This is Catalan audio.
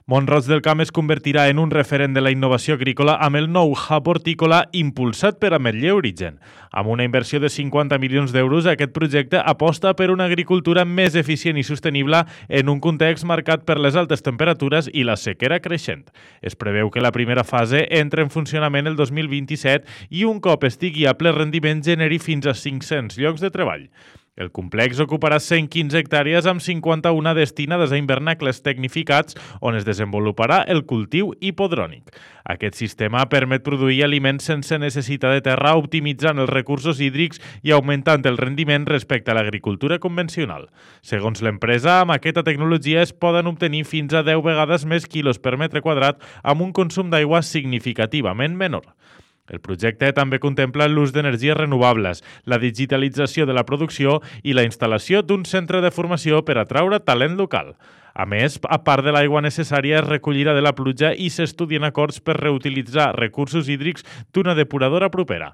Mont-roig del Camp es convertirà en un referent de la innovació agrícola amb el nou hub hortícola impulsat per Ametller Origen. Amb una inversió de 50 milions d'euros, aquest projecte aposta per una agricultura més eficient i sostenible en un context marcat per les altes temperatures i la sequera creixent. Es preveu que la primera fase entre en funcionament el 2027 i un cop estigui a ple rendiment generi fins a 500 llocs de treball. El complex ocuparà 115 hectàrees amb 51 destinades a hivernacles tecnificats on es desenvoluparà el cultiu hipodrònic. Aquest sistema permet produir aliments sense necessitat de terra, optimitzant els recursos hídrics i augmentant el rendiment respecte a l'agricultura convencional. Segons l'empresa, amb aquesta tecnologia es poden obtenir fins a 10 vegades més quilos per metre quadrat amb un consum d'aigua significativament menor. El projecte també contempla l'ús d'energies renovables, la digitalització de la producció i la instal·lació d'un centre de formació per atraure talent local. A més, a part de l'aigua necessària, es recollirà de la pluja i s'estudien acords per reutilitzar recursos hídrics d'una depuradora propera.